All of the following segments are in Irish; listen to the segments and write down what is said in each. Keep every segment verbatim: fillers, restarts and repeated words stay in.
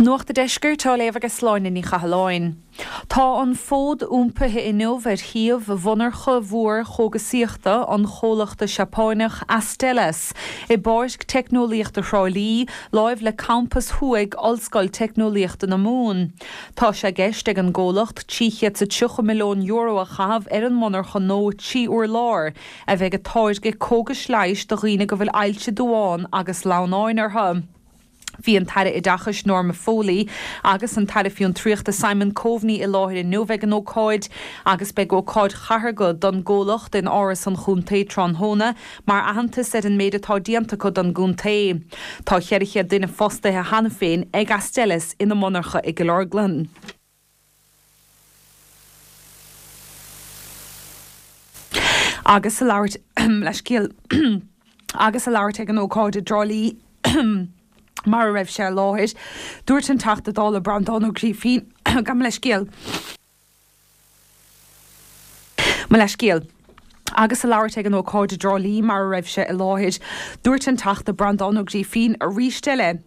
Nuacht an Deiscirt á léamh ag Sláine Ní Chathalláin. Tá an fód iompaithe inniu ar shuíomh mhonarcha mhór chógaisíochta an chomhlachta Seapánach Astellas i bPáirc Teicneolaíochta Thrá Lí, láimh le Campas Thuaidh Ollscoil Teicneolaíochta na Mumhan. Tá sé i gceist ag an gcomhlacht trí chéad is tríocha milliún euro a chaitheamh ar an monarcha nua trí urlár a bheidh ag táirgeadh cógais leighis do dhaoine go bhfuil ailse duáin agus lamhnáin orthu. Bhí an tAire Oideachais Norma Foley agus an tAire Fiontraíochta Simon Coveney i láthair inniu ag an ócáid agus beidh ócáid chathartha don gcomhlacht in Áras an Chontae tráthnóna mar aitheantas ar an méid atá déanta acu don gcontae. Tá ceithre chéad duine fostaithe cheana féin ag Astellas ina monarcha i gCill Orglan. Agus ag labhairt leithscéal agus ag labhairt ag an ócáid i dTrá Lí mar a raibh sé i láthair, dúirt an Teachta Dála Breandán Ó Grífín, Gabh mo leithscéal. Mo leithscéal. Agus ag labhairt ag an ócáid i dTrá Lí mar a raibh sé i láthair, dúirt an Teachta Breandán Ó Grífín arís eile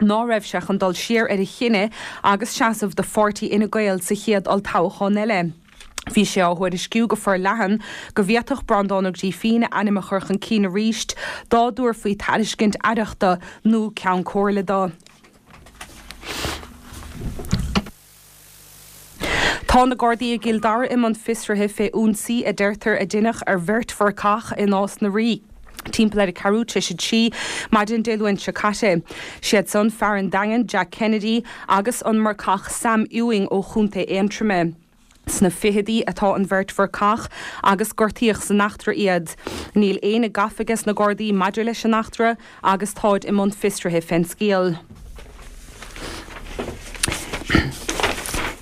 ná raibh sé chun dul siar ar a chinneadh agus seasamh do pháirtí Fhine Gael sa chéad olltoghchán eile. Bhí sé á thuairisciú go forleathan go bhféadfadh Breandán Ó Grífín a ainm a chur chun cinn arís dá dtabharfaí tairiscint aireachta nó ceann comhairle dó. Tá na Gardaí i gCill Dara i mbun fiosraithe fé ionsaí a deirtear a deineadh ar bheirt mharcach i Nás na Rí timpeall ar a ceathrú tar éis a trí maidin Dé Luain seo caite. Siad san fear an Daingin, Jack Kennedy, agus an marcach Sam Ewing ó Chontae Aontroma. Sna fichidí atá an bheirt mharcach agus gortaíodh san eachtra iad. Níl éinne gafa ages na Gardaí maidir leis an eachtra agus táid i mbun fiosraithe fén scéal.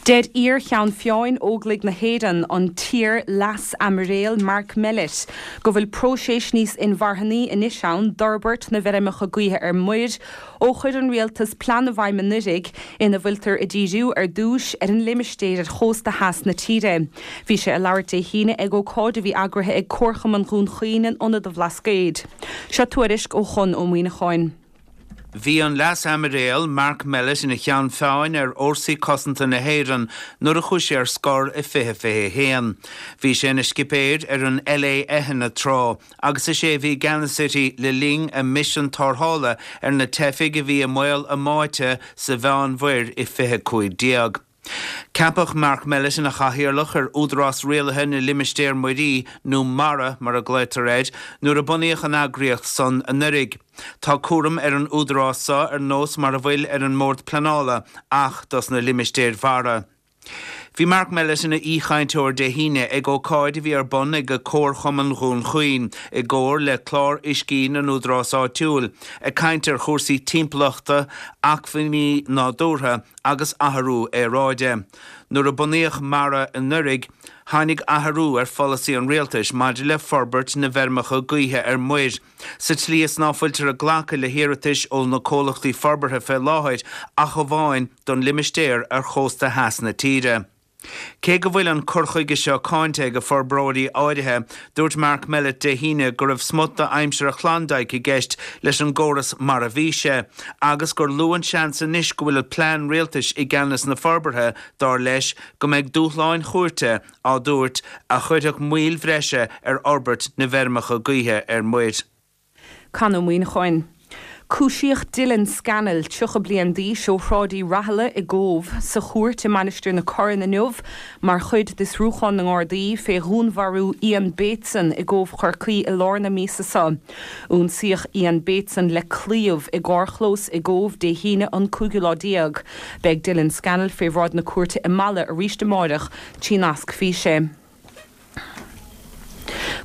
Deir iar-Cheann Feadhain Óglaigh na hÉireann, an t-iar-Leas-Aimiréal Mark Mellett, go bhfuil próiseas níos inmharthanaí anois ann d'fhorbairt na bhfeirmeacha gaoithe ar muir ó chuir an rialtas plean i bhfeidhm anuraidh ina bhfuiltear ag díriú ar dtús ar an limistéar ar chósta theas na tíre. Bhí sé ag labhairt Dé hAoine ag ócáid a bhí eagraithe ag Comharchumann Dhún Chaoin in Ionad an Bhlascaoid. Seo tuairisc ó Chon Ó Muíneacháin. Bhí an Leas-Aimiréal Mark Mellett ina cheann feadhain ar Fhórsaí Cosanta na hÉireann nuair a chuaigh sé ar scor i fiche fiche a haon. Bhí sé ina scipéir ar an LÉ Eithne tráth agus is é a bhí i gceannas uirthi le linn a misean tarrthála ar na teifigh a bhí i mbaol a mbáite sa Mheánmhuir i fiche cúig déag. Ceapadh Mark Mellett ina chathaoirleach ar Údarás Rialaithe na Limistéar Muirí, nó MARA mar a ghlaotar air, nuair a bunaíodh an eagraíocht san anuraidh. Tá cúram ar an údarás so ar nós mar a bhfuil ar an mBord Pleanála ach dos na limistéir mhara. Bhí Mark Mellett ina aoichainteoir Dé hAoine ag ócáid a bhí ar bun ag Comharchumann Dhún Chaoin i gcomhar le Clár Uiscí na nÚdarás Áitiúil, ag caint ar chúrsaí timpeallachta, acmhainní nádúrtha agus athrú aeráide. Nuair a bunaíodh MARA anuraidh, tháinig athrú ar pholasaí an rialtais maidir le forbairt na bhfeirmeacha gaoithe ar muir, sa tslí is ná fuiltear ag glacadh le hiarratais ó na comhlachtaí forbartha fé láthair ach amháin don limistéar ar chósta theas na tíre. Cé go bhfuil an cur chuige seo cáinte ag forbróirí áirithe, dúirt Mark Mellett Dé hAoine go raibh smut d'aimsir an Chlondyke i gceist leis an gcóras mar a bhí sé, agus gur lú an seans anois go bhfuil plean rialtais i gceannas na forbartha, dar leis, go mbeidh dúshláin chúirte á dtabhairt a chuirfeadh moill bhreise ar fhorbairt na bhfeirmeacha gaoithe ar muir. Con Ó Muíneacháin. Cúisíodh Dylan Scannell, tríocha bliain d'aois, ó Shráid Uí Rathaille i gCóbh, sa chúirt i Mainistir na Corann inniu mar chuid d'fhiosrúchán na nGardaí fé dhúnmharú Ian Bateson i gCóbh Chorcaí i lár na míosa seo. Ionsaíodh Ian Bateson le claíomh i gcarrchlós i gCóbh Dé hAoine an cúigiú lá déag. Beidh Dylan Scannell fé bhráid na cúirte i Mala arís amáireach trí nasc físe.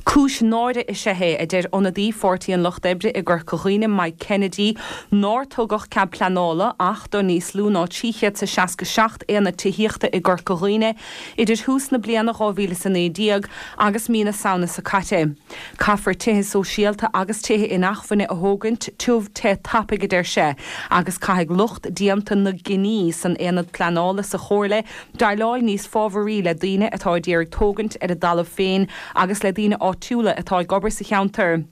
Cúis náire is ea é, a deir ionadaí Pháirtí an Lucht Oibre i gCorca Dhuibhne, Mike Kennedy, nár tugadh cead pleanála ach do níos lú ná trí chéad is a seasca seacht aonad tithíochta i gCorca Dhuibhne idir thús na bliana dhá mhíle is a naoi déag agus mí na Samhna seo caite. Caithfear tithe sóisialta agus tithe inacmhainne a thógaint tiubh te tapaidh, a deir sé, agus caithfidh lucht déanta na gcinní san aonad pleanála sa Chomhairle déileáil níos fábharaí le daoine atá ag iarraidh tógaint ar a dtalamh féin agus le daoine áitiúla atá ag obair sa cheantar.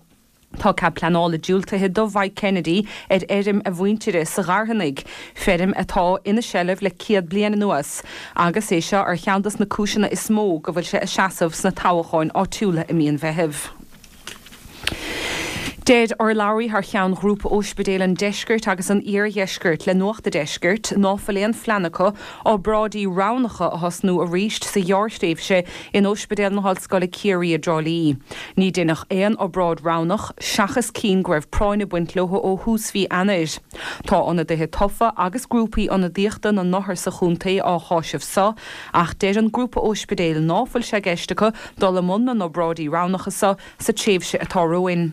Tá cead pleanála diúltaithe do Mhike Kennedy ar fheirm a mhuintire sa Gharthanach, feirm atá ina seilbh le céad bliain anuas, agus é seo ar cheann de na cúiseanna is mó go bhfuil sé ag seasamh sna toghcháin áitiúla i mí an Mheithimh. Deir urlabhraí thar cheann Ghrúpa Ospidéal an Deiscirt agus an Iardheiscirt le Nuacht an Deiscirt ná fuil aon phlean acu obráidí roghnacha a thosnú arís sa ghearrthréimhse in Ospidéal na hOllscoile Ciarraí i dTrá Lí. Ní deineadh aon obráid roghnach seachas cinn go raibh práinn ag baint leo ó thús mhí Eanáir. Tá ionadaithe tofa agus grúpaí ionadaíochta na n-othar sa chontae á cháiseamh seo, ach deir an grúpa ospidéal ná fuil sé i gceist acu dul i mbun na n-obráidí roghnacha seo sa tréimhse atá romhainn.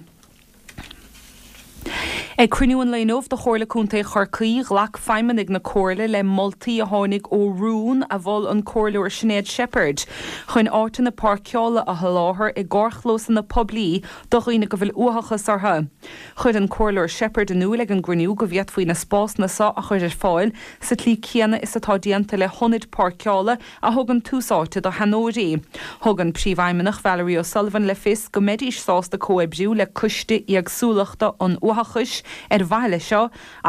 Ag cruinniú an lae inniu de Chomhairle Contae Chorcaí, ghlac feidhmeannaigh na Comhairle le moltaí a tháinig ó rún a mhol an Comhairleoir Sinéad Sheppard chun áiteanna páirceála a sholáthar i gcarrchlósanna poiblí do dhaoine go bhfuil uathachas orthu. Chuir an Comhairleoir Sheppard in iúl ag an gcruinniú go bhféadfaí na spásanna seo a chur ar fáil sa tslí céanna is atá déanta le hionaid páirceála a thugann tús áite do sheanóirí. Thug an Príomhfheidhmeannach Valerie O'Sullivan le fios go mbeidís sásta comhoibriú le Coiste Éagsúlachta an Uathachais ar mhaithe leis seo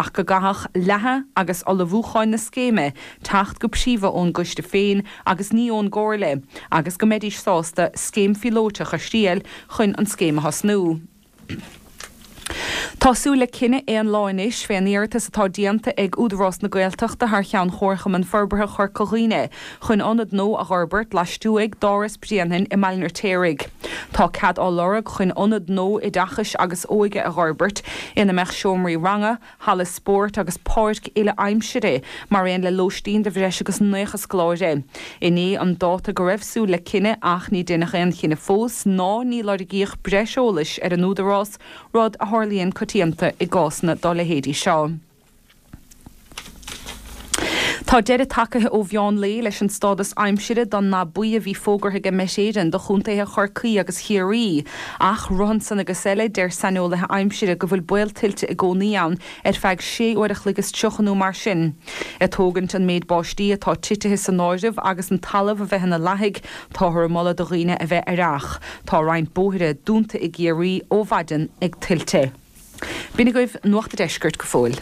ach go gcaithfeadh leathadh agus ullmhúcháin na scéime teacht go príomha ón gcoiste féin agus ní ón gComhairle agus go mbeidís sásta scéim phíolótach a thriail chun an scéim a thosnú. Tá súil le cinneadh aon lá anois fén iarratas atá déanta ag Údarás na Gaeltachta thar cheann Chomharchumann Forbartha Chorca Dhuibhne chun ionad nua a dh'fhorbairt laistuaidh d'Áras Bhréanainn i mBaile an Fheirtéaraigh. Tá cead á lorg chun ionad nua oideachais agus óige a dh'fhorbairt ina mbeadh seomraí ranga, halla spóirt agus páirc uile-aimsire mar aon le lóistín do bhreis agus naocha scoláire. Inné an dáta go raibh súil le cinneadh ach ní deineadh aon chinneadh fós ná ní lorgaíodh breis eolais ar an Údarás, rud a tharlaíonn coitianta i gcásanna dá leithéidí seo. Tá deireadh tagtha ó mheán lae leis an stádas aimsire don ndath buí a bhí fógartha ag Met Éireann do chontaetha Chorcaí agus Chiarraí. Ach romhan san agus eile, deir saineolaithe aimsire go bhfuil baol tuilte i gcónaí ann ar feadh sé uair a chloig is tríocha nó mar sin. Ag tógaint an méid báistí atá titithe san áireamh agus an talamh a bheith ina lathaigh, táthar ag moladh do dhaoine a bheith aireach. Tá roinnt bóithre dúnta i gCiarraí ó mhaidin ag tuilte. B'in agaibh Nuacht an Deiscirt go fóill.